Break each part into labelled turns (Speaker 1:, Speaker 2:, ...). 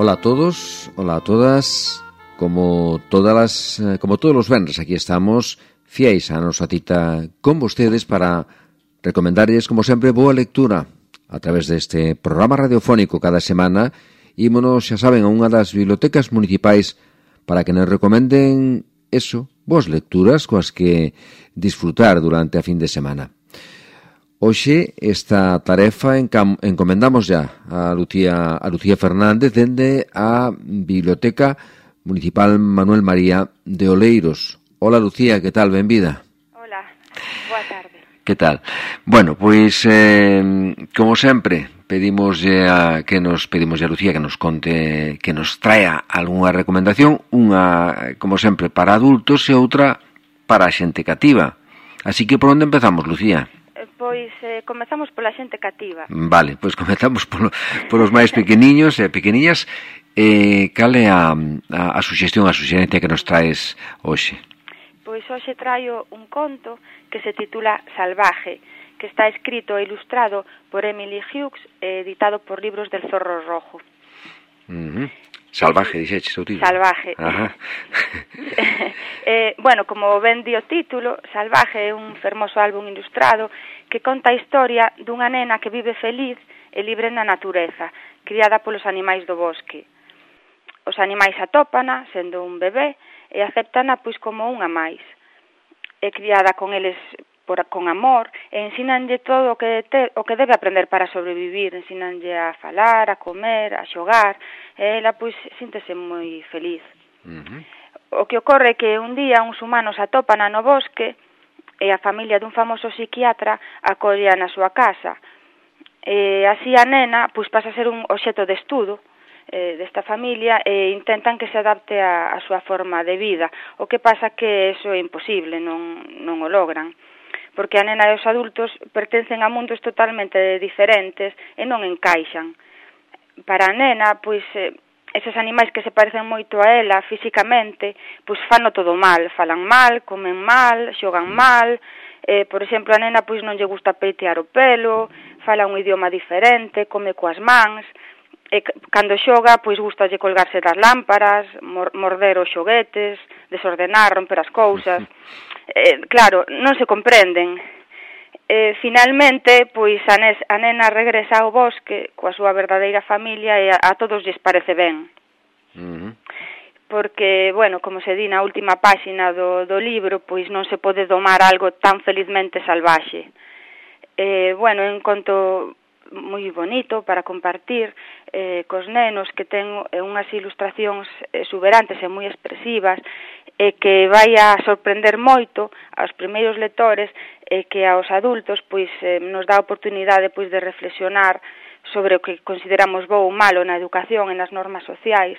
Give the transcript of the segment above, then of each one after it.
Speaker 1: Hola a todos, hola a todas. Como todos os venres, aquí estamos fiéis a nosa cita con vostedes para recomendarles, como sempre, boa lectura a través deste programa radiofónico cada semana. Ímonos, xa saben, a unha das bibliotecas municipais para que nos recomenden boas lecturas coas que disfrutar durante a fin de semana. Hoxe esta tarefa encomendamos ya a Lucía Fernández dende a Biblioteca Municipal Manuel María de Oleiros. Hola Lucía, que tal? Benvida.
Speaker 2: Hola, boa tarde.
Speaker 1: Que tal? Bueno, pois, como sempre, pedimos a Lucía que nos conte, que nos traia algunha recomendación, unha, como sempre, para adultos e outra para a xente cativa. Así que por onde empezamos, Lucía?
Speaker 2: Pois comezamos pola xente cativa.
Speaker 1: Vale, pois comezamos polos máis pequeniños e pequeniñas. Cal é a suxerencia que nos traes hoxe?
Speaker 2: Pois hoxe traio un conto que se titula Salvaje, que está escrito e ilustrado por Emily Hughes e editado por Libros del Zorro Rojo.
Speaker 1: Salvaje, dixeches o título.
Speaker 2: Salvaje.
Speaker 1: Ajá.
Speaker 2: Bueno, como ben di o título, Salvaje é un fermoso álbum ilustrado que conta a historia dunha nena que vive feliz e libre na natureza, criada polos animais do bosque. Os animais atópana, sendo un bebé, e aceptana pois como unha máis. É criada con eles con amor e ensínanlle todo o que debe aprender para sobrevivir, ensínanlle a falar, a comer, a xogar, e ela pois síntese moi feliz. O que ocorre é que un día uns humanos atópana no bosque e a familia dun famoso psiquiatra acolla na súa casa. E así a nena pois pasa a ser un obxecto de estudo desta familia e intentan que se adapte a súa forma de vida. O que pasa que eso é imposible, non o logran, porque a nena e os adultos pertencen a mundos totalmente diferentes e non encaixan. Para a nena, pois, eses animais que se parecen moito a ela físicamente, pois fano todo mal, falan mal, comen mal, xogan mal. Por exemplo, a nena pois non lle gusta peitear o pelo, fala un idioma diferente, come coas mans. E cando xoga, pois gustalle colgarse das lámparas, morder os xoguetes, desordenar, romper as cousas. Claro, non se comprenden. Finalmente, pois a nena regresa ao bosque coa súa verdadeira familia e a todos lles parece ben. Porque, bueno, como se di na última páxina do libro, pois non se pode domar algo tan felizmente salvaxe. Bueno, en conto moi bonito para compartir cos nenos, que ten unhas ilustracións exuberantes e moi expresivas e que vai a sorprender moito aos primeiros lectores e que aos adultos pois nos dá a oportunidade pois de reflexionar sobre o que consideramos bo ou malo na educación e nas normas sociais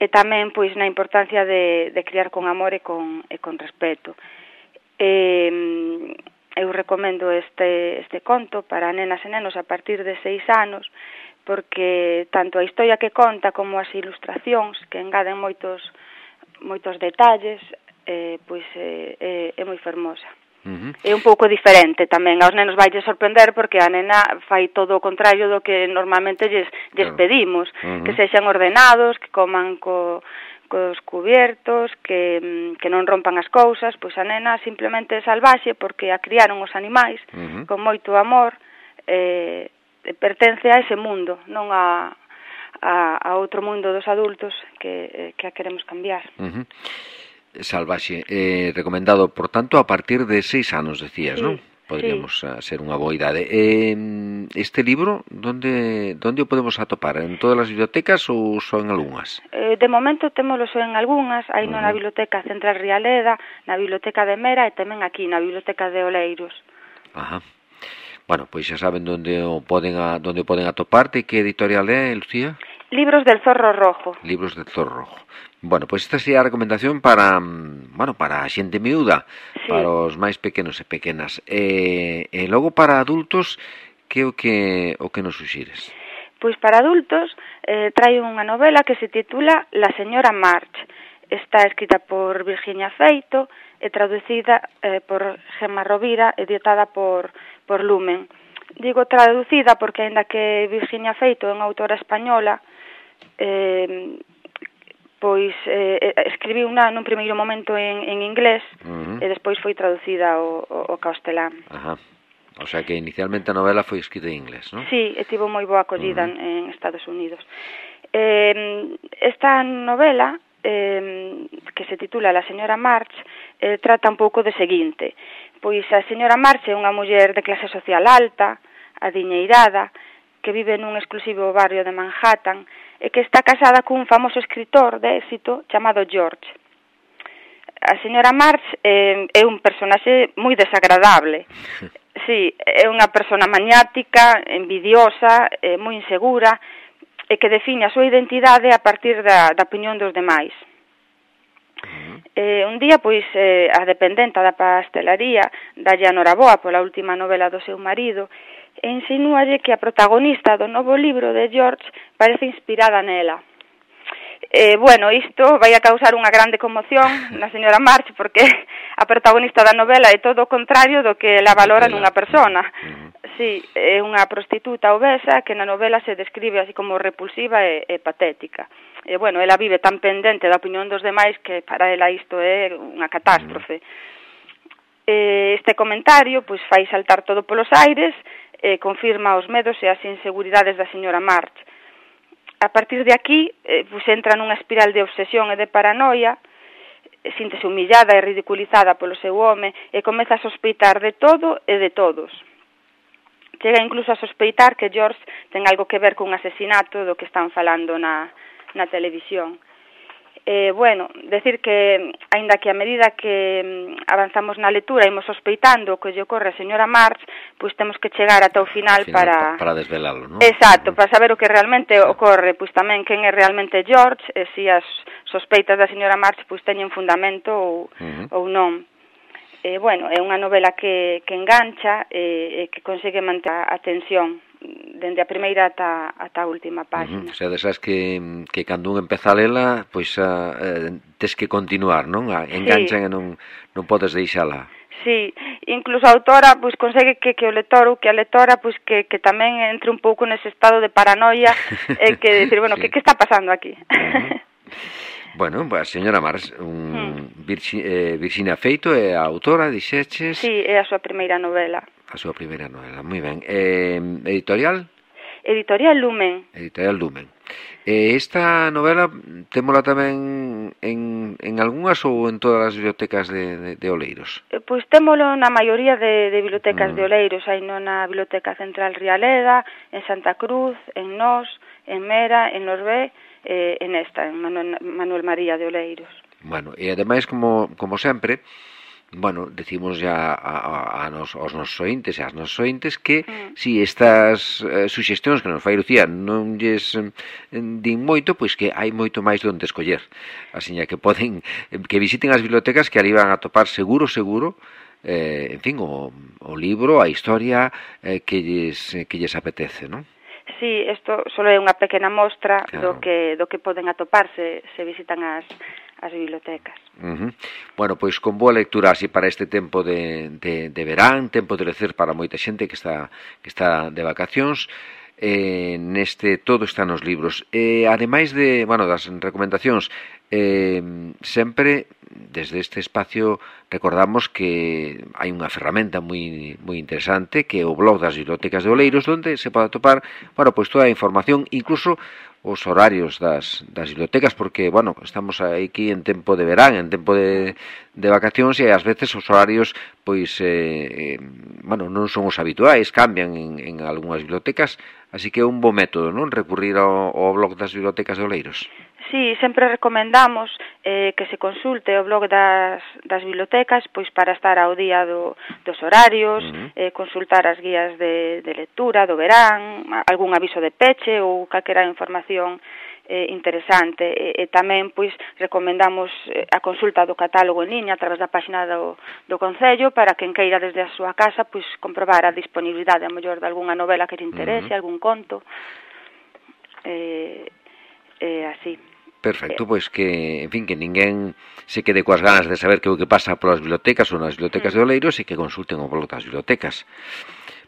Speaker 2: e tamén pois na importancia de criar con amor e con respeto. Eu recomendo este conto para nenas e nenos a partir de 6 anos, porque tanto a historia que conta como as ilustracións que engaden moitos detalles, pois é moi fermosa. É un pouco diferente tamén, aos nenos vai sorprender porque a nena fai todo o contrario do que normalmente lles pedimos, que sexan ordenados, que coman cos cubiertos, que non rompan as cousas. Pois a nena simplemente é salvaxe porque a criaron os animais con moito amor, pertence a ese mundo, non a outro mundo dos adultos que a queremos cambiar.
Speaker 1: Salvaxe, recomendado, por tanto, a partir de 6 anos, decías,
Speaker 2: sí,
Speaker 1: non? Podríamos ser unha boa idade. Este libro, onde o podemos atopar? En todas as bibliotecas ou só en algunhas?
Speaker 2: De momento témolo só en algunhas, hai na Biblioteca Central Rialeda, na Biblioteca de Mera e tamén aquí na Biblioteca de Oleiros.
Speaker 1: Ajá. Bueno, pois xa saben onde o poden atopar. De que editorial é, Lucía?
Speaker 2: Libros del Zorro Rojo.
Speaker 1: Libros del Zorro Rojo. Bueno, pois esta sería a recomendación para a xente miúda, sí, para os máis pequenos e pequenas. E logo para adultos, que o que nos suxires?
Speaker 2: Pois para adultos traio unha novela que se titula La señora March. Está escrita por Virginia Feito e traducida por Gemma Rovira, editada por Lumen. Digo traducida porque, aínda que Virginia Feito é unha autora española, pois escribiu nun primeiro momento en inglés e despois foi traducida ao castelán.
Speaker 1: Ajá. O sea que inicialmente a novela foi escrita en inglés, non?
Speaker 2: Sí, e tivo moi boa acollida en Estados Unidos. Esta novela, que se titula La señora March, trata un pouco de seguinte. Pois a señora March é unha muller de clase social alta, adiñeirada, que vive nun exclusivo barrio de Manhattan e que está casada cun famoso escritor de éxito chamado George. A señora March é un personaxe moi desagradable. Sí, é unha persona maniática, envidiosa, moi insegura e que define a súa identidade a partir da opinión dos demais. Un día, pois, a dependenta da pastelaría dalle a noraboa pola última novela do seu marido e insinúalle que a protagonista do novo libro de George parece inspirada nela. Bueno, isto vai a causar unha grande conmoción na señora March porque a protagonista da novela é todo o contrario do que ela valora nunha persona. Sí, é unha prostituta obesa que na novela se describe así como repulsiva e patética. E, bueno, ela vive tan pendente da opinión dos demais que para ela isto é unha catástrofe. Este comentario pois fai saltar todo polos aires e confirma os medos e as inseguridades da señora March. A partir de aquí, pois entra nunha espiral de obsesión e de paranoia, síntese humillada e ridiculizada polo seu home e comeza a sospeitar de todo e de todos. Chega incluso a sospeitar que George ten algo que ver cun asesinato do que están falando na televisión. Bueno, decir que, aínda que a medida que avanzamos na lectura imos sospeitando o que lle ocorre a señora March, pois temos que chegar ata o final para
Speaker 1: desvelalo, non?
Speaker 2: Exacto, para saber o que realmente ocorre, pois tamén quen é realmente George, e se as sospeitas da señora March pois teñen fundamento ou non. Bueno, é unha novela que engancha e que consegue manter a tensión dende a primeira ata a última página.
Speaker 1: O sea, desas que cando un empeza a lela, pois tes que continuar, non? Enganchan e non podes deixala.
Speaker 2: Sí, incluso a autora pois consegue que o lector ou que a lectora pois que tamén entre un pouco nese estado de paranoia e que decir, bueno, sí. que está pasando aquí?
Speaker 1: Bueno, a señora March, Virxinia Feito é a autora, dixeches?
Speaker 2: Sí, é a súa primeira novela.
Speaker 1: A súa primeira novela, moi ben. Editorial?
Speaker 2: Editorial Lumen.
Speaker 1: Editorial Lumen. Esta novela témola tamén en algunhas ou en todas as bibliotecas de Oleiros?
Speaker 2: Pois témolo na maioría de bibliotecas de Oleiros. Hai na Biblioteca Central Rialeda, en Santa Cruz, en Nós, en Mera, en Norbé, en esta, en Manuel María de Oleiros.
Speaker 1: Bueno, e ademais, como sempre, bueno, decimos ya aos nosos ointes e ás nosos ointes que si estas suxestións que nos fai Lucía non lles din moito, pois que hai moito máis onde escoller. Asiña que poden, que visiten as bibliotecas que ali van a topar seguro, en fin, o libro, a historia que lles apetece, non?
Speaker 2: Sí, isto só é unha pequena mostra do que poden atoparse se visitan as bibliotecas.
Speaker 1: Bueno, pois con boa lectura así para este tempo de verán, tempo de lecer para moita xente que está de vacacións. Neste todo está nos libros. Ademais das recomendacións, sempre desde este espacio recordamos que hai unha ferramenta moi interesante que é o blog das bibliotecas de Oleiros, onde se pode atopar, pois toda a información, incluso os horarios das bibliotecas, porque, estamos aquí en tempo de verán, en tempo de vacacións, e ás veces os horarios, pois, non son os habituais, cambian en algunhas bibliotecas, así que é un bo método, non? Recurrir ao blog das bibliotecas de Oleiros.
Speaker 2: Sí, sempre recomendamos que se consulte o blog das bibliotecas pois para estar ao día dos horarios, consultar as guías de lectura do verán, algún aviso de peche ou calquera información interesante. E tamén pois recomendamos a consulta do catálogo en liña a través da página do Concello para quen queira desde a súa casa pois comprobar a disponibilidade a mellor de algunha novela que lle interese, algún conto. Así.
Speaker 1: Perfecto, pois que, en fin, que ninguén se quede coas ganas de saber que o que pasa polas bibliotecas ou nas bibliotecas de Oleiros e que consulten o blog das bibliotecas.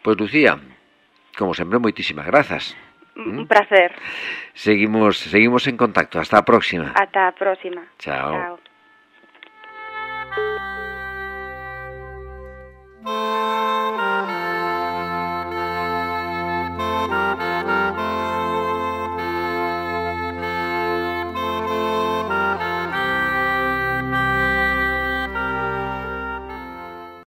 Speaker 1: Pois, Lucía, como sempre, moitísimas grazas.
Speaker 2: Un placer.
Speaker 1: Seguimos en contacto. Hasta a próxima.
Speaker 2: Ata a próxima.
Speaker 1: Chao.
Speaker 2: Chao.